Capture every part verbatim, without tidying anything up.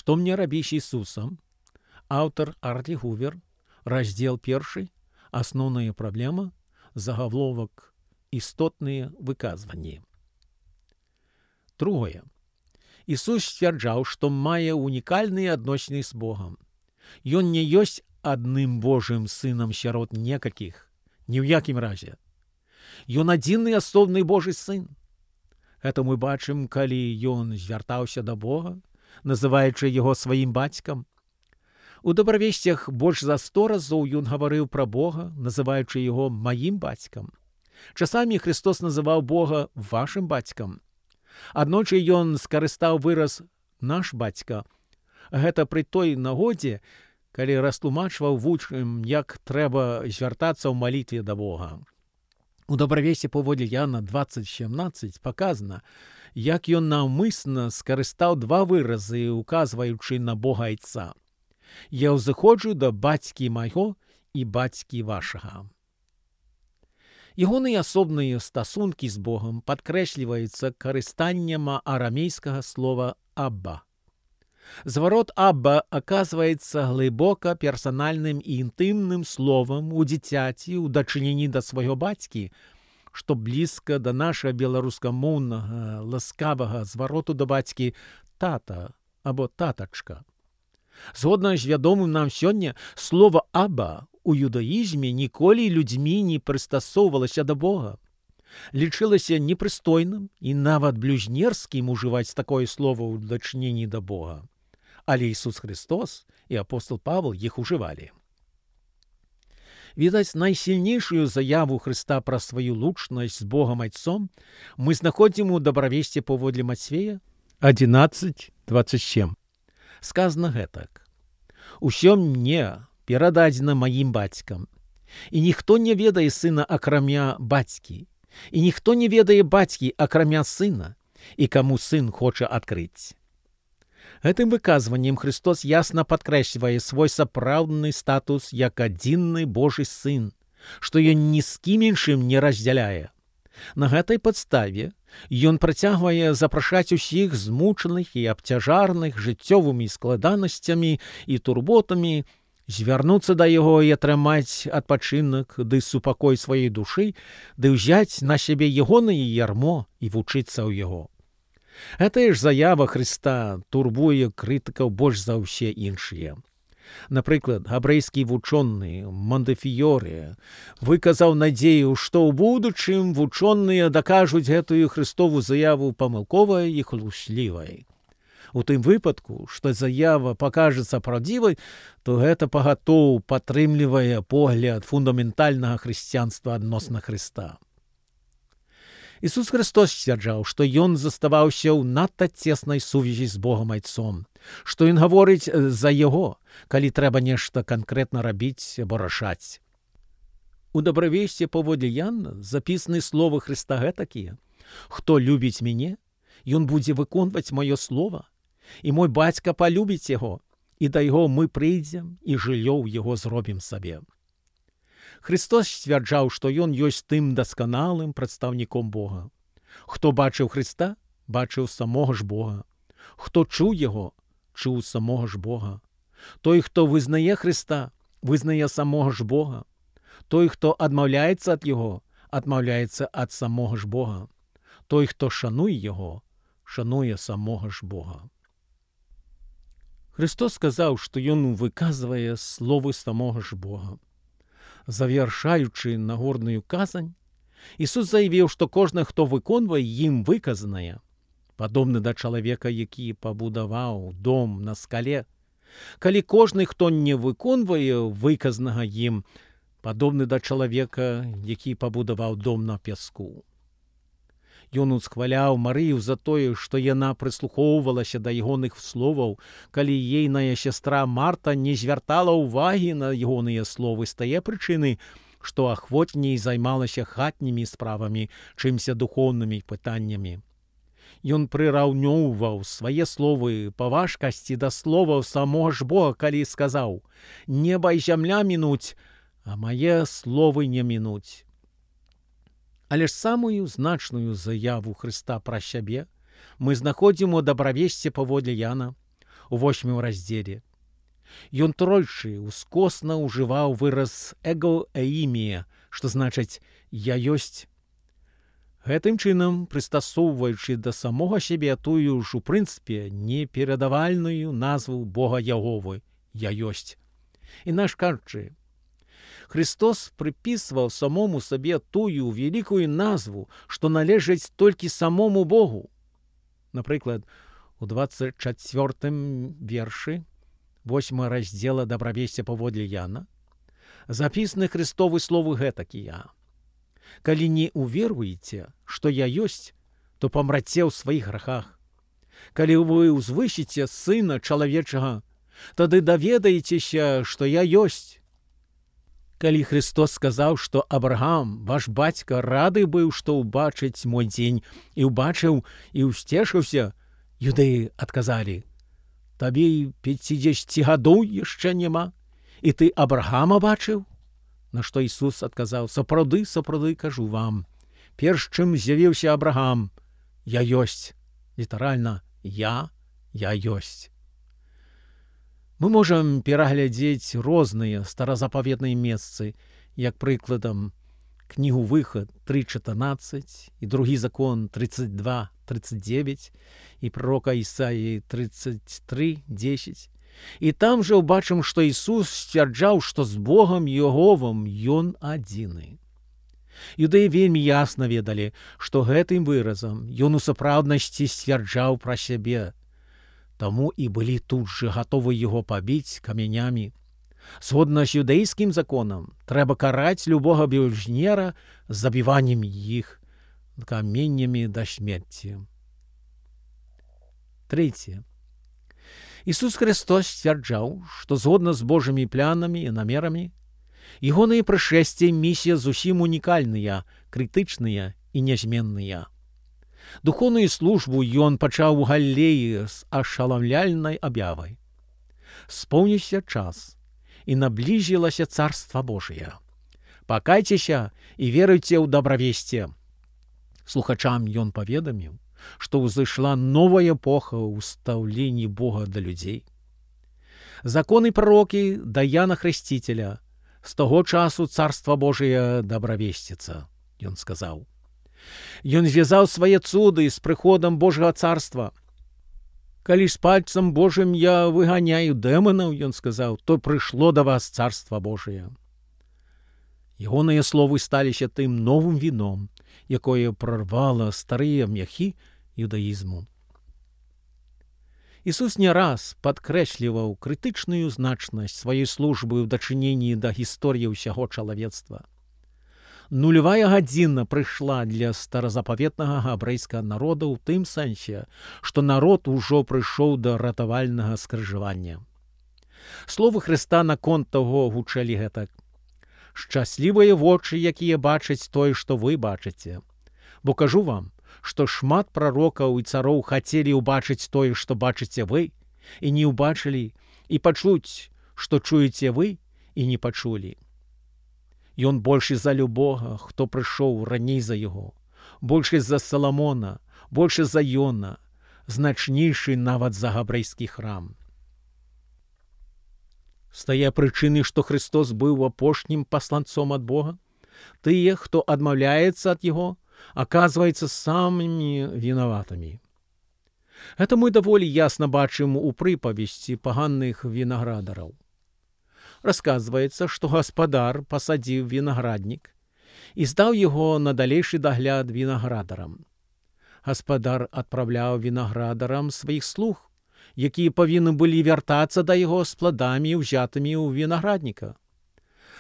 Што мне рабіць Ісусам? Аўтар Арти Гувер, раздзел першы, асноўная праблема, загаловак істотныя выказванні. Другое. Ісус сцвярджаў, што мае унікальныя адносіны з Богам. Ён не ёсць адным Божым сынам сярод некалькіх, ні ў якім разе. Ён адзіны асобны Божы сын. Гэта мы бачым, калі ён звяртаўся да Бога, называючы яго сваім бацькам. У добравесцях больш за сто разоў ён гаварыў пра Бога, называючы яго маім бацькам. Часамі Христос называў Бога вашым бацькам. Аднойчы ён скарыстаў выраз «наш бацька». Гэта пры той нагодзе, калі растлумачваў вучням, як трэба звяртацца ў малітве да Бога. У добравесці паводле Яна дваццаць сямнаццаць паказана, як ён наўмысна скарыстаў два выразы, указваючы на Бога Айца. «Я ўзыходжу да бацькі майго і бацькі вашага». Ягоныя асобныя стасункі з Богам падкрэсліваюцца карыстаннем арамейскага слова «абба». Зварот «абба» аказваецца глыбока персанальным і інтымным словам у дзіцяці ў дачыненні да свайго бацькі, што блізка да нашага беларускамоўнага ласкавага звароту да бацькі «тата» або «татачка». Згодна з вядомым нам сёння, слова «абба» у юдаізме ніколі людзьмі не прыстасоўвалася да Бога. Лічылася непрыстойным і нават блюзнерскім ужываць такое слово ў дачыненні да Бога. Але Ісус Христос і апостол Павел іх ужывалі. Відаць, найсільнейшую заяву Хрыста пра сваю лучнасць з Богам Айцом мы знаходзім у добравесці паводле Мацвея адзінаццаць дваццаць сем. Сказано гэтак: «Усё мне перададзена маім бацькам, і ніхто не ведае сына акрамя бацькі, і ніхто не ведае бацькі акрамя сына, і каму сын хоча адкрыць». Гэтым выказваннем Христос ясна падкрэслівае свой сапраўдны статус як адзінны Божы сын, што ён ні з кім іншым не раздзяляе. На гэтай падставе ён працягвае запрашаць усіх змучаных і абцяжарных жыццёвымі складанасцямі і турботамі звярнуцца да яго і атрымаць адпачынак ды супакой сваёй душы, ды ўзяць на сябе ягонае ярмо і вучыцца ў яго. Гэтая ж заява Хрыста турбуе крытыкаў больш за ўсе іншыя. Напрыклад, габрэйскі вучоны Монтефіёре выказаў надзею, што ў будучым вучоныя дакажуць гэтую Христову заяву памылковай і хлуслівай. У тым выпадку, што заява пакажацца праўдзівай, то гэта пагатоў падтрымлівае погляд фундаментальнага хрысціянства адносна Хрыста. Ісус Христос сцвярджаў, што ён заставаўся ў надта цеснай сувязі з Богам Айцом, што ён гаворыць за яго, калі трэба нешта канкрэтна рабіць або рашаць. У добравесці паводле Яна запісаны словы Хрыста гэтакія: «Хто любіць мяне, ён будзе выконваць маё слова, і мой бацька палюбіць яго, і да яго мы прыйдзем і жыллё ў яго зробім сабе». Христос сцвярджаў, што ён ёсць тым дасканалым прадстаўніком Бога. Хто бачыў Хрыста, бачыў самога ж Бога. Хто чуў яго, чуў самога ж Бога. Той, хто вызнае Хрыста, вызнае самога ж Бога. Той, хто адмаўляецца ад яго, адмаўляецца ад самога ж Бога. Той, хто шануе яго, шануе самога ж Бога. Христос сказаў, што ён выказвае словы самога ж Бога. Завяршаючы нагорную казань, Ісус заявіў, што кожны, хто выконвае ім выказанае, падобны да чалавека, які пабудаваў дом на скале. Калі кожны, хто не выконвае выказанага ім, падобны да чалавека, які пабудаваў дом на пяску. Ён усхваляў Марыю за тое, што яна прыслухоўвалася да ягоных словаў, калі ейная сястра Марта не звяртала ўвагі на ягоныя словы з тае прычыны, што ахвотней займалася хатнімі справамі, чымся духоўнымі пытаннямі. Ён прыраўнёўваў свае словы па важкасці да словаў самога ж Бога, калі сказаў: «Неба і зямля мінуць, а мае словы не мінуць». Але ж самую значную заяву Хрыста пра сябе мы знаходзім у добравесці паводле Яна у восьмым раздзеле. Ён тройчы ускосна ўжываў выраз эго-эімія, што значыць «я ёсць». Гэтым чынам, прыстасоўваючы да самога сябе тую ж у прынцыпе неперадавальную назву Бога Яговы «я ёсць». Інакш кажучы, Христос прыпісваў самому сабе тую вялікую назву, што належыць толькі самому Богу. Напрыклад, у двадцать чацвёртым вершы восьмага раздзела «Дабравесця паводле Яна» запісаны Христовы словы гэтакія: «Калі не уверуеце, што я ёсць, то памраце ў сваіх грахах. Калі вы ўзвысіце Сына Чалавечага, тады даведаецеся, што я ёсць». Калі Христос сказаў, што Абрагам, ваш бацька, рады быў, што ўбачыць мой дзень, і ўбачыў, і ўсцешыўся, юдэі адказалі: «Табе і пяцідзесяці гадоў яшчэ няма, і ты Абрагама бачыў?» На што Ісус адказаў: «Сапраўды, сапраўды кажу вам, перш чым з'явіўся Абрагам, я ёсць». Літаральна «я, я ёсць». Мы можам пераглядзець розныя старазапаветныя месцы, як прыкладам кнігу «Выхад» тры чатырнаццаць і другі закон тридцать два тридцать девять і пророка Ісаіі тридцать три десять. І там жа ўбачым, што Ісус сцвярджаў, што з Богам Яговам Ён адзіны. Юдэі вельмі ясна ведалі, што гэтым выразам Ён у сапраўднасці сцвярджаў пра сябе. Таму і былі тут жа гатовы яго пабіць камянямі. Згодна з юдэйскім законам, трэба караць любога блюзнера забіваннем іх каменнямі да смерці. Трэцяе. Ісус Христос сцвярджаў, што згодна з Божымі планамі і намерамі, ягонае прышэсце і місія зусім унікальныя, крытычныя і нязменныя. Духоўную службу ён пачаў у Галілеі з ашаламляльнай аб'явай: «Споўніўся час, і наблізілася Царства Божие. Пакайцеся і веруйце ў дабравесце». Слухачам ён паведаміў, што ўзышла новая эпоха ў стаўленні Бога да людзей. Законы прарокі да Яна Хрысціцеля: «З таго часу Царства Божие дабравесціцца», ён сказаў. Ён звязаў свае цуды з прыходам Божага царства. «Калі з пальцам Божым я выганяю дэманаў, ён сказаў, то прыйшло да вас Царства Божие». Ягоныя словы сталіся тым новым віном, якое прорвала старыя мяхі юдаізму. Ісус не раз падкрэсліваў крытычную значнасць сваёй службы ў дачыненні да гісторыі ўсяго чалавецтва. Нулявая гадзіна прыйшла для старазапаветнага габрэйскага народа ў тым сэнсе, што народ ужо прыйшоў да ратавальнага скрыжавання. Словы Хрыста наконт таго гучалі гэтак: «Шчаслівыя вочы, якія бачаць тое, што вы бачыце. Бо кажу вам, што шмат прарокаў і цароў хацелі ўбачыць тое, што бачыце вы, і не ўбачылі, і пачуць, што чуеце вы, і не пачулі». Ён большы за любога, хто прыйшоў раней за яго, большы за Саламона, большы за Йона, значнейшы нават за габрэйскі храм. З тае прычыны, што Христос быў апошнім пасланцом ад Бога, тыя, хто адмаўляецца ад яго, аказваецца самымі вінаватымі. Гэта мы даволі ясна бачым у прыпавесці паганных вінаградараў. Расказваецца, што гаспадар пасадзіў вінаграднік і здаў яго на далейшы дагляд вінаградарам. Гаспадар адпраўляў вінаградарам сваіх слуг, якія павінны былі вяртацца да яго з пладамі, узятымі ў вінаградніка.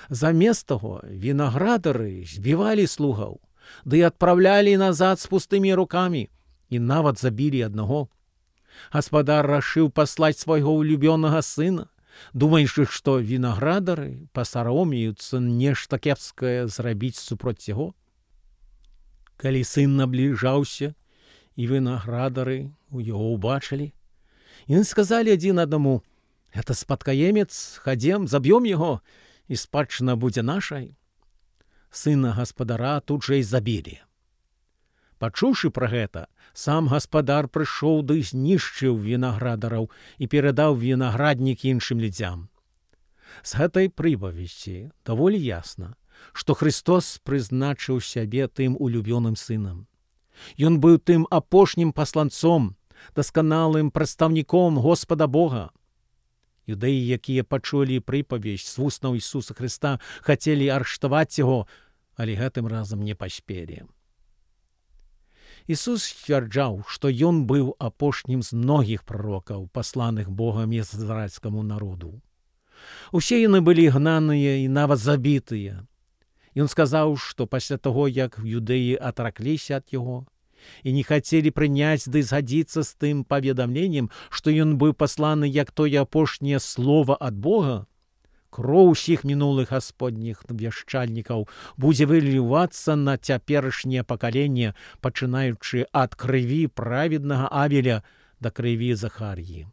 Замест таго вінаградары збівалі слугаў, ды адпраўлялі назад з пустымі рукамі і нават забілі аднаго. Гаспадар рашыў паслаць свайго улюбёнага сына, думаючы, што вінаградары пасаромеюцца нешта кепскае зрабіць супроць яго. Калі сын набліжаўся, і вінаградары у яго ўбачылі, яны сказалі адзін аднаму: «Гэта спадкаемец, хадзем, заб'ём яго, і спадчына будзе нашай». Сына гаспадара тут жа і забілі. Пачуўшы пра гэта, сам гаспадар прыйшоў ды знішчыў вінаградараў і перадаў вінаграднік іншым людзям. З гэтай прыпавесці даволі ясна, што Христос прызначыў сябе тым улюбёным сынам. Ён быў тым апошнім пасланцом, дасканалым прадстаўніком Господа Бога. Юдэі, якія пачулі прыпавесць з вуснаў Ісуса Хрыста, хацелі арыштаваць яго, але гэтым разам не паспелі. Ісус сцвярджаў, што ён быў апошнім з многіх прарокаў, пасланых Богам ізраільскаму народу. Усе яны былі гнаныя і нават забітыя. Ён сказаў, што пасля таго, як юдэі атракліся ад яго і не хацелі прыняць ды згадзіцца з тым паведамленнем, што ён быў пасланы як тое апошняе слова ад Бога, кроў усіх мінулых гасподніх вяшчальнікаў будзе вылівацца на цяперашняе пакаленне, пачынаючы ад крыві праведнага Авеля да крыві Захар'і.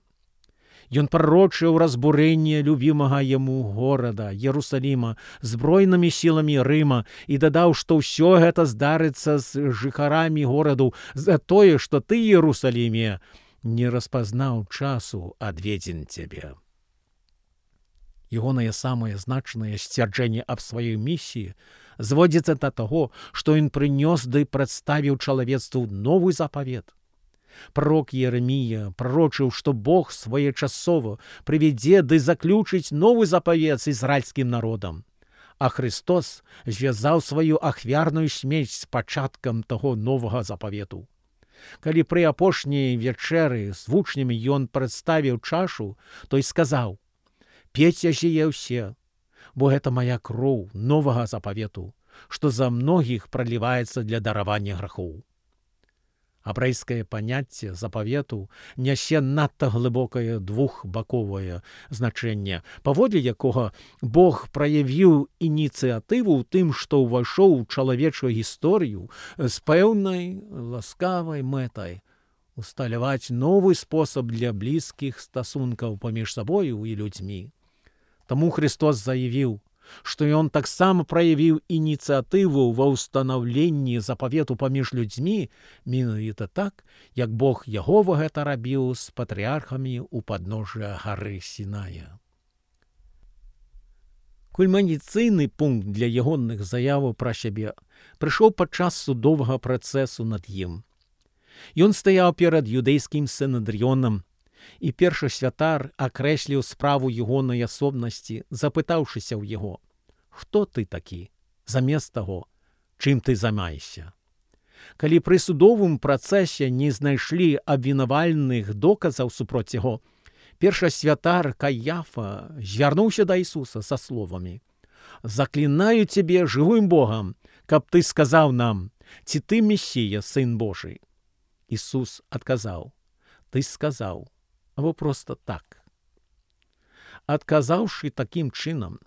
Ён прарочыў разбурэнне любімага яму горада, Ерусаліма, збройнымі сіламі Рыма і дадаў, што ўсё гэта здарыцца з жыхарамі гораду за тое, што ты, Ерусаліме, не распазнаў часу адведзен цябе. Ягонае самае значнае сцвярджэнне аб сваёй місіі зводзіцца да таго, што ён прынёс ды прадставіў чалавецтву новы запавет. Пророк Єремія пророчыў, што Бог своечасова прывядзе ды заключыць новы запавет з ізраільскім народам, а Христос звязаў сваю ахвярную смерць з пачаткам таго новага запавету. Калі пры апошняй вечэры з вучнямі ён прадставіў чашу, той сказаў: «Пейце жые ўсе, бо гэта моя кроў новага запавету, што за многіх праліваецца для даравання грахоў». Абрэйскае паняцце запавету нясе надта глыбокае двухбаковае значэнне, паводле якога Бог праявіў ініцыятыву ў тым, што ўвайшоў у чалавечую гісторыю з пэўнай ласкавай мэтай усталяваць новы спосаб для блізкіх стасункаў паміж сабою і людзьмі. Таму Христос заявіў, што ён таксама праявіў ініцыятыву ва ўстанаўленні запавету паміж людзьмі менавіта так, як Бог Ягова гэта рабіў з патрыархамі ў падножжа гары Сіная. Кульмінацыйны пункт для ягоных заяваў пра сябе прыйшоў падчас судовага працэсу над ім. Ён стаяў перад юдэйскім сінедрыёнам, і першы святар акрэсліў справу ягонай асобнасці, запытаўшыся ў яго: «Хто ты такі, замест таго, чым ты займаешся?» Калі пры судовым працэсе не знайшлі абвінавальных доказаў супроць яго, першы святар Каяфа звярнуўся да Ісуса са словамі: «Заклінаю цябе жывым Богам, каб ты сказаў нам, ці ты Месія, Сын Божий». Ісус адказаў: «Ты сказаў, або проста так». Адказаўшы такім чынам,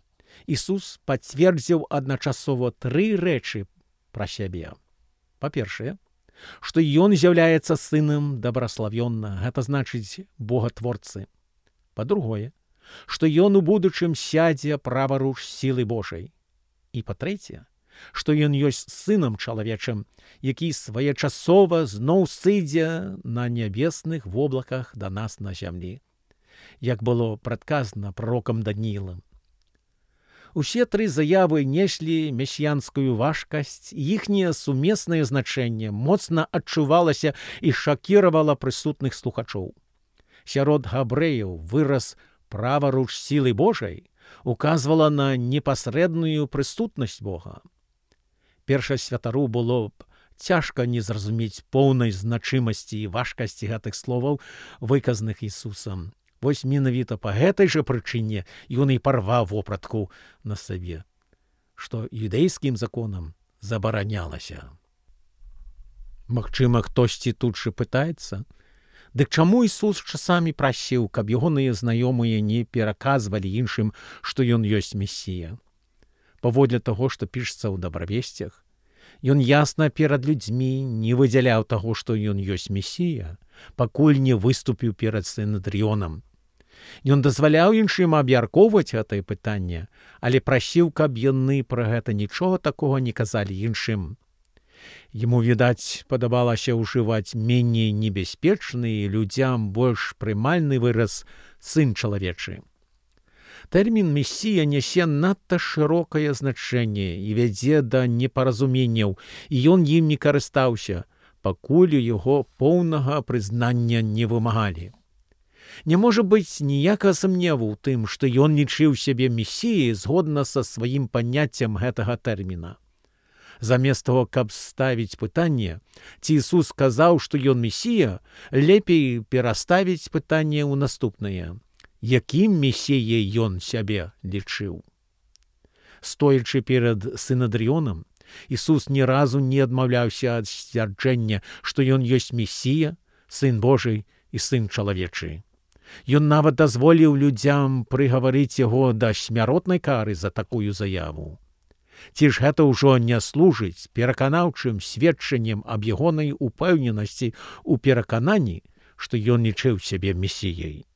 Ісус пацвердзіў адначасова тры рэчы пра сябе. Па-першае, што ён з'яўляецца сынам дабраславённа, гэта значыць богатворцы. Па-другое, што ён у будучым сядзе праваруч сілы Божай. І па-трэцяе, што ён ёсць сынам чалавечым, які своечасова зноў сыдзе на нябесных воблаках да нас на зямлі, як было прадказана пророкам Даніілам. Усе тры заявы неслі месіянскую важкасць, і іхняе сумеснае значэнне моцна адчувалася і шакіравала прысутных слухачоў. Сярод габрэяў выраз «праваруч сілы Божай» указвала на непасрэдную прысутнасць Бога. Першасвятару было б цяжка не зразумець поўнай значымасці і важкасці гэтых словаў, выказаных Ісусам. Вось менавіта па гэтай жа прычыне ён і парваў вопратку на сабе, што юдэйскім законам забаранялася. Магчыма, хтосьці тут жа пытаецца, дык чаму Ісус часамі прасіў, каб ягоныя знаёмыя не пераказвалі іншым, што ён ёсць Месія? Паводле таго, што пішацца ў дабравесцях, ён ясна перад людзьмі не выдзяляў таго, што ён ёсць Месія, пакуль не выступіў перад сінедрыёнам. Ён дазваляў іншым абмяркоўваць гэтае пытанне, але прасіў, каб яны пра гэта нічога такога не казалі іншым. Яму, відаць, падабалася ўжываць меней небяспечны і людзям больш прымальны выраз «сын чалавечы». Тэрмін «месія» нясе надта шырокае значэнне і вядзе да непаразуменняў, і ён ім не карыстаўся, пакуль у яго поўнага прызнання не вымагалі. Не можа быць ніякага сумневу ў тым, што ён лічыў сябе месіяй згодна са сваім паняццем гэтага тэрміна. Замест таго, каб ставіць пытанне, ці Ісус сказаў, што ён месія, лепей пераставіць пытанне ў наступнае. Якім месіяй ён сябе лічыў? Стоячы перад Сінадрыёнам, Ісус ні разу не адмаўляўся ад сцвярджэння, што ён ёсць месія, сын Божий і сын чалавечы. Ён нават дазволіў людзям прыгаварыць яго да смяротнай кары за такую заяву. Ці ж гэта ўжо не служыць пераканаўчым сведчаннем аб ягонай упэўненасці ў перакананні, што ён лічыў сябе месіяй?